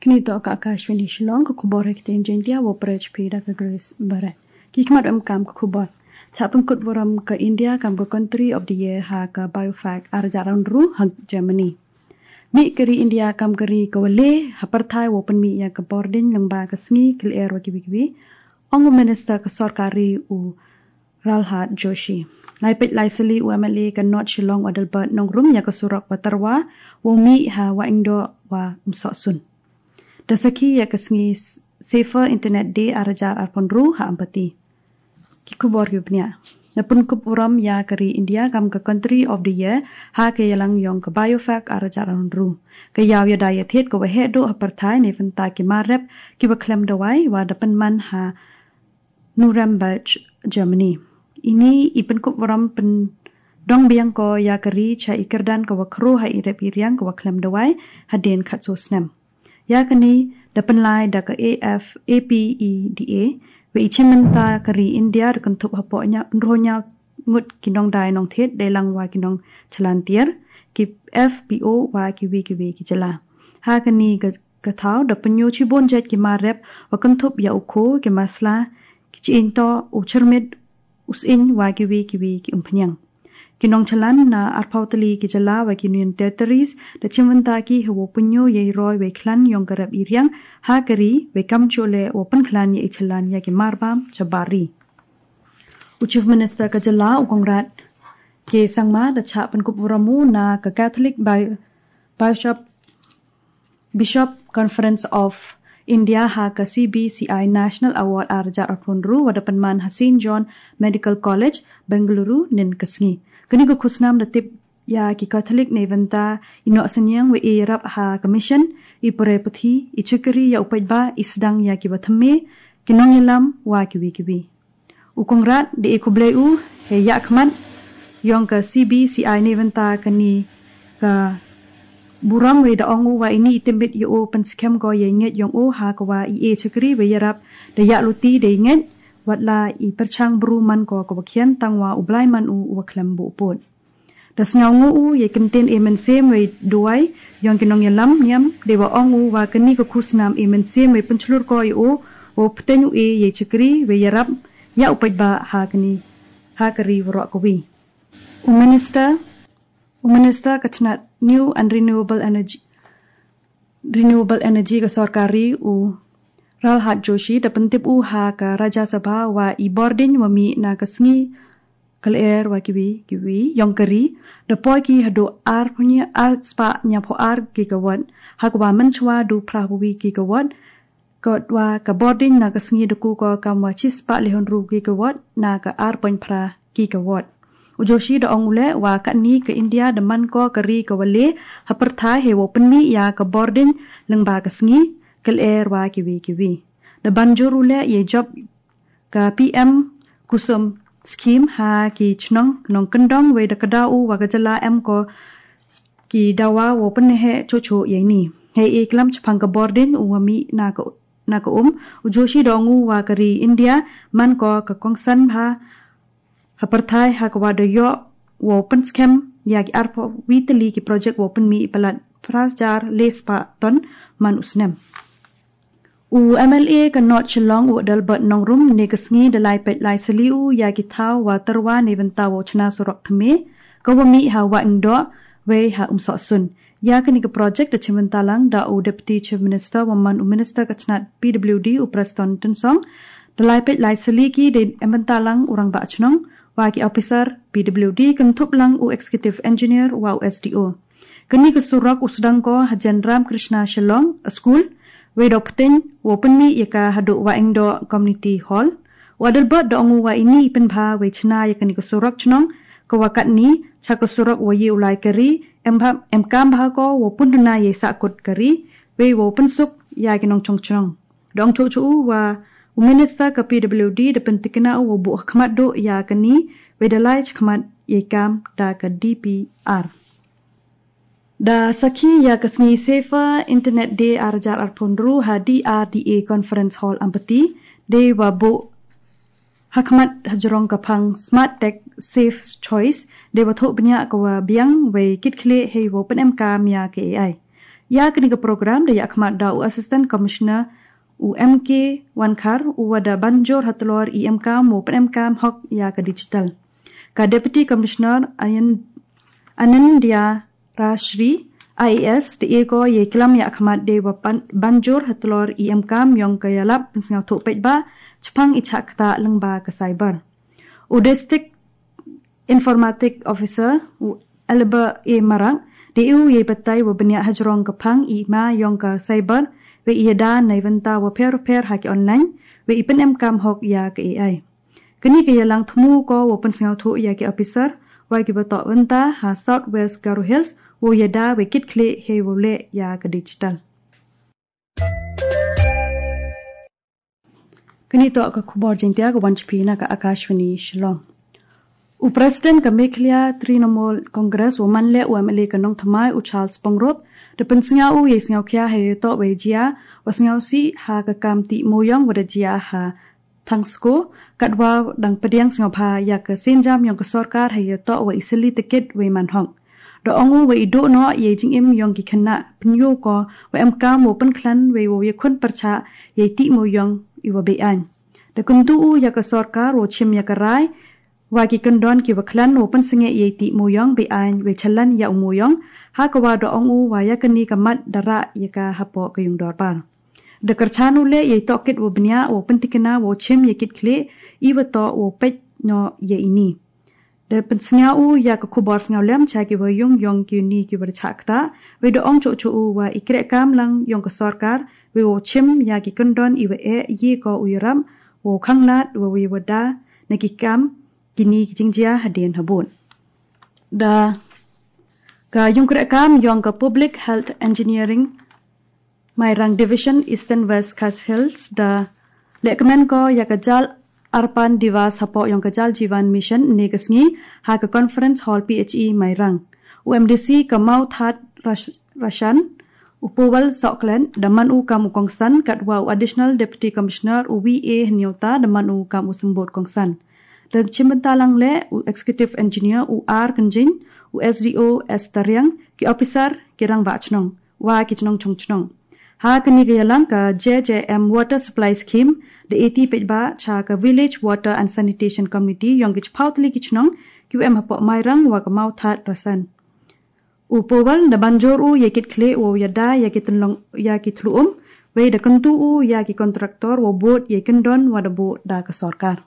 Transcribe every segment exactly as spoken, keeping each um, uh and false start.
Ngi to ka Akashvani Shillong, ka khubor ha ktien Jaiñtia, wa pyrshah phi da ka Grace Barat. Ki khmat em kam ka khubor. Chah pynkut burom ka India kam ka Country of the Year ha ka BIOFACH ar hajar arphew hynriew ha Germany. Mih ka ri India kam ka ri ka wa le ha pyrthai wa pynmih ïa ka bording lyngba ka sngi, ka lyer wa kiwi kiwi, ong u Minister ka sorkar ri u Pralhad Joshi. Lai peit lai sali u MLA ka North Shillong u Adelbert Nongrum ïa ka surok wa tyrwa wa mih ha Wahingdoh wa Umsohsun. Da sakhi ïa ka sngi Safer Internet Day ar hajar arphew hynriew ha Ampati. Ki khubor kiba bniah. Da pynkup burom ïa ka ri India kam ka Country of the Year ha ka ïalang yong ka BIOFACH ar hajar arphew hynriew. Ka ïaw ïada ïathied ka wa heh duh ha pyrthai neibynta ki mar rep kiba khlem dawai wa da pynman ha Nuremberg, Germany. Ini i pynkup burom pyndong biang ko ïa ka ri cha i kyrdan ka wa khro ha i rep i riang ka wa khlem dawai hadien khatsaw snem. Ïa kani da pynlai da ka AFAPEDA, wa i chimbynta ka ri India da kynthup hapoh hynñiaw, hynñiaw ngut ki nongdai nongthied dei lang wa ki nongchalan tiar, ki FPO wa kiwi kiwi ki jylla. Ha kani ka ka thaw da pynïoh shibun jait ki mar rep wa kynthup ïa u kho, ki masla, ki chynto, u chyrmit, u sying wa kiwi kiwi ki umphniang. Ki nongchalan na arphew tylli ki jylla wa ki Union Territories da chimbynta ki ha wa pynïoh ïa i roi wa i khlan yong ka rep i riang ha ka ri, wa i kam jooh leh wa pynkhlan ïa i chalan ïa ki marbam chabar ri. U Chief Minister ka jylla u Conrad K Sangma da chah pynkup burom u na ka Catholic Bi- Bishop Bishop Conference of India ha ka CBCI National Award ar hajar arphew hynriew wa da pynman ha Saint John Medical College, Bengaluru, nin ka sngi. Kani ka khusnam da tip ïa ki Catholic neibynta i noh synñiang wa i ïarap ha ka mission, i pule puthi, i chakri ïa u paidbah, i sdang ïa ki wa thymme, ki nongïalam wa kiwi kiwi. U Conrad da e khublei u ha ïa khmat yong ka CBCI neibynta kani ka burom, wa da ong u wa ini i tymmen ïa u pynskhem ko ïa i ngeit yong u ha ka wa i e chakri wa ïarap da ïa luti da i ngeit, wat la i pyrchang bru man ko ka wa khian, tang wa u Blai man u u wa khlem buh pud. Da sngewnguh u ïa i kyntien e mynsiem wa i duwai yong ki nongïalam niam, da wa ong u wa kani ka khusnam e mynsiem wa i pynchlur ko ïa u wa u pteng u e ïa i chakri wa ïarap ïa u paidbah ha kani ha ka ri waroh kawi. U Minister, u Minister ka tnat New and Renewable Energy, Renewable Energy ka sorkar ri u Pralhad Joshi da pyntip u ha ka Rajya Sabha wa i bording wa mih na ka sngi ka lyer wa kiwi kiwi yong ka ri da poi ki haduh ar phew hynñiew, ar spah hynñiaw phew ar gigawatt, ha ka wa mynshwa du phra phew wi gigawatt, ka wa ka bording na ka sngi da ku ko kam wa shi spah le hynriew gigawatt na ka ar point phra gigawatt. U Joshi da ong u leh wa katni ka India da man ko ka ri ka wa le ha pyrthai ha wa pynmih ïa ka bording lyngba ka sngi ka lyer wa kiwi kiwi. Da ban jur u leh ïa i jop ka PM Kusum Scheme ha ki chnong nongkyndong, wa da kdew u wa ka jylla em ko ki dawa wa pynheh chuh chuh ïa ini. Hei i klam chaphang ka bording u wa mih na ka, na ka um, u Joshi da ong u wa ka ri India man ko ka kongsan bha ha pyrthai ha ka wa da ïoh wa pynskhem ïa ki ar phew wi tylli ki project wa pynmih palat phra hajar le spah ton man u snem. U MLA ka North Shillong u Adelbert Nongrum ne ka sngi da lai peit lai sali u ïa ki thaw wa tyrwa neibynta wa u chna surok thymme ka wa mih ha Wahingdoh wei ha Umsohsun. Ïa kani ka project da chimbynta lang da u Deputy Chief Minister wa man u Minister ka tnat PWD u Prestone Tynsong. Da lai peit lai sali ki da chimbynta lang u rangbah chnong wa ki officer PWD kynthup lang u Executive Engineer wa u SDO. Kani ka surok u sdang ko ha Jan Ram Krishna Shillong School, wei da u pteng wa pynmih ïa ka haduh Wahingdoh Community Hall. U Adelbert da ong u wa ini i pynbha wei chna ïa kani ka surok chnong ka wa katni cha ka surok wa ïa u lai ka ri, em bha, em kam bha ko wa pynduna ïa i sahkut ka ri wei wa pynsuk ïa ki nongchong chnong. Da ong chuh chuh u wa u Minister ka PWD da pyntikna u wa buh ha khmat duh ïa kani wei da lai cha khmat ïa i kam da ka DPR. Da sakhi ïa ka sngi Safer Internet Day ar hajar arphew hynriew ha DRDA Conference Hall Ampati, da wa buh ha khmat ha jrong ka phang Smart Tech Safe Choice, da wa thoh bniah ka wa biang wei kit khlieh hei wa pynemkam ïa ka AI. Ïa kane ka program da ïa khmat da u Assistant Commissioner u M K Wankhar, u wa da ban jur halor i em kam u pyn em kam hok ïa ka digital. Ka Deputy Commissioner Ayan-, Anindya Rashri, I A S, te e ko ïa klam ïa khmat de wa ban jur halor i em kam ïong ka ïalap pynsngewthuh peit ba chapang i chak kata lyngba ka cyber. U District Informatic Officer, u Elba A Marak, de u ïa batai wa bniah hajrong ka phang i ma ïong ka cyber, wa i ïada na i wynta wa pher pher ha ki online, wa i pyn em kam hok ïa ka A I. Kane ka ïalang thmu ko wa pynsngewthuh ïa ki officer, wa ki wa toh wynta ha South West Garo Hills, wa ïada wa kit khlieh hei wa leh ïa ka digital. Kane toh ka khubor Jaiñtia ka wan sha phi na ka Akashvani Shillong. U President ka Meghalaya Trinamool Congress wa man leh u M L A ka Nongthymmai u Charles Pyngrope, da pynsngew u ïa i sngewkhia ha ïa toh wa i jia wa sngewsih ha ka kam tih mooïong wa da jia ha Thangsko, katwa dang pdiang sngewbha ïa ka sienjam ïong ka sorkar ha ïa toh wa i sylli tikit wa i man hok. Da ong u wa i duh noh ïa i jingim ïong ki khynnah, pynïoh ko wa em kam wa pynkhlan wa i wa ïakhun pyrchah ïa i tih mooïong i wa be-aiñ. Da kyntu u ïa ka sorkar wa chim ïa ka rai wa ki kyndon ki wa khlan wa pynsngew ïa i tih mooïong be-aiñ wa i chalan ïa u mooïong, ha ka wa da ong u wa ïa kane ka mat da rah ïa ka hapoh ka yung dorbar. Da kyrchan u leh ïa i tohkit wa bniah wa pyntikna wa chim ïa kit khlieh i wa toh wa peit noh ïa ini. Da pynsngew u ïa ka khubor sngewlem cha ki wa yung ïong ki ni ki wa da chah kata, wa da ong chuh chuh u wa i kreh kam lang ïong ka sorkar, wa wa chim ïa ki kyndon i wa eh ïa ko u ïarap wa khanglad wa wa da na ki kam ki ni ki jingjia hadien habud. Da ka yung kreh kam ïong ka Public Health Engineering Mairang Division Eastern West Khasi Hills da lehkmen ko ïa ka Jal Arpan Diwas hapoh ïong ka Jal Jeevan Mission ne ka sngi ha ka Conference Hall P H E Mairang. U M D C ka Mawthadraishan, u Powell Soklen, da man u kam u kongsan katwa u Additional Deputy Commissioner u V A Hynñiewta da man u kam u symbud kongsan. Da chim bynta lang leh u Executive Engineer u R Kynjin, u S D O S Tariang, ki officer ki rangbah chnong wa ki chnong chong chnong. Ha kane ka ïalang ka J J M Water Supply Scheme da eti peit ba cha ka Village Water and Sanitation Committee ïong ki chiphaw tylli ki chnong ki wa em hapoh Mairang wa ka Mawthadraishan. U Powell da ban jur u ïa kit khlieh wa ïada ïa ki tynlong ïa ki thlu um, wa da kyntu u ïa ki contractor wa bud ïa ki kyndon wa da bud da ka sorkar.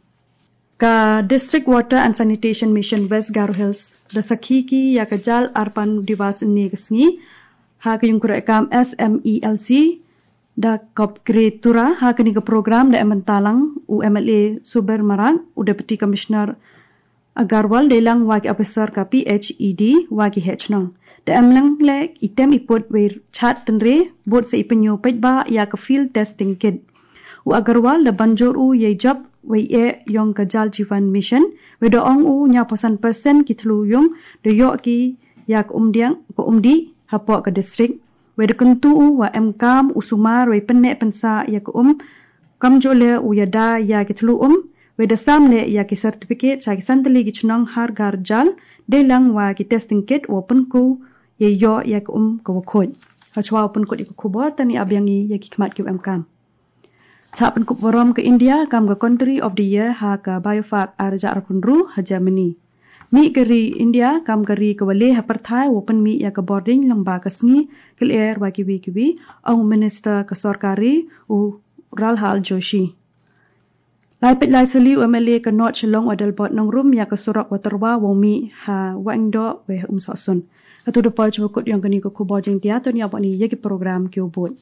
Ka District Water and Sanitation Mission West Garo Hills da sakhi ki ïa ka Jal Arpan Diwas ne ka sngi ha ka yung kreh kam S M E L C da Kopgre Tura. Ha kane ka program da em bynta lang u M L A Subir Marak, u Deputy Commissioner Agarwal, dei lang wa ki officer ka P H E D wa ki heh chnong. Da em lang leh i tem i put wa i chat tynre bud sa i pynïoh peit ba ïa ka field testing kit. U Agarwal da ban jur u ïa i jop wa i eh ïong ka Jal Jeevan Mission, wa da ong u hynñiewphew san percent ki thlu yung da ïoh ki ïa ka umdiang ka umdih hapoh ka district. Wa da kyntu u wa em kam u sumar wa i pynneh pynsah ïa ka um, kamjooh leh u ïada ïa ki thlu um, wa da sam leh ïa ki certificate cha ki san tylli ki chnong Har Ghar Jal, dei lang wa ki testing kit wa pynku ïa ïoh ïa ka um ka wa khuid. Hashwa wa pynkut ïa ka khubor, tani ap biang i ïa ki khmat ki wa em kam. Chah pynkup burom ka India kam ka Country of the Year ha ka BIOFACH ar hajar arphew hynriew ha Germany. Mih ka ri India kam ka ri ka wa leh ha pyrthai wa pynmih ïa ka bording lyngba ka sngi ka lyer wa kiwi kiwi, ong u Minister ka sorkar ri u Pralhad Joshi. Lai peit lai sylli u M L A ka North Shillong u Adelbert Nongrum ïa ka surok wa tyrwa wa mih ha Wahingdoh wa ha Umsohsun. Katu da poi sha ba kut ïong kani ka khubor Jaiñtia, to ngin ïa bud ïa ki program ki wa bud.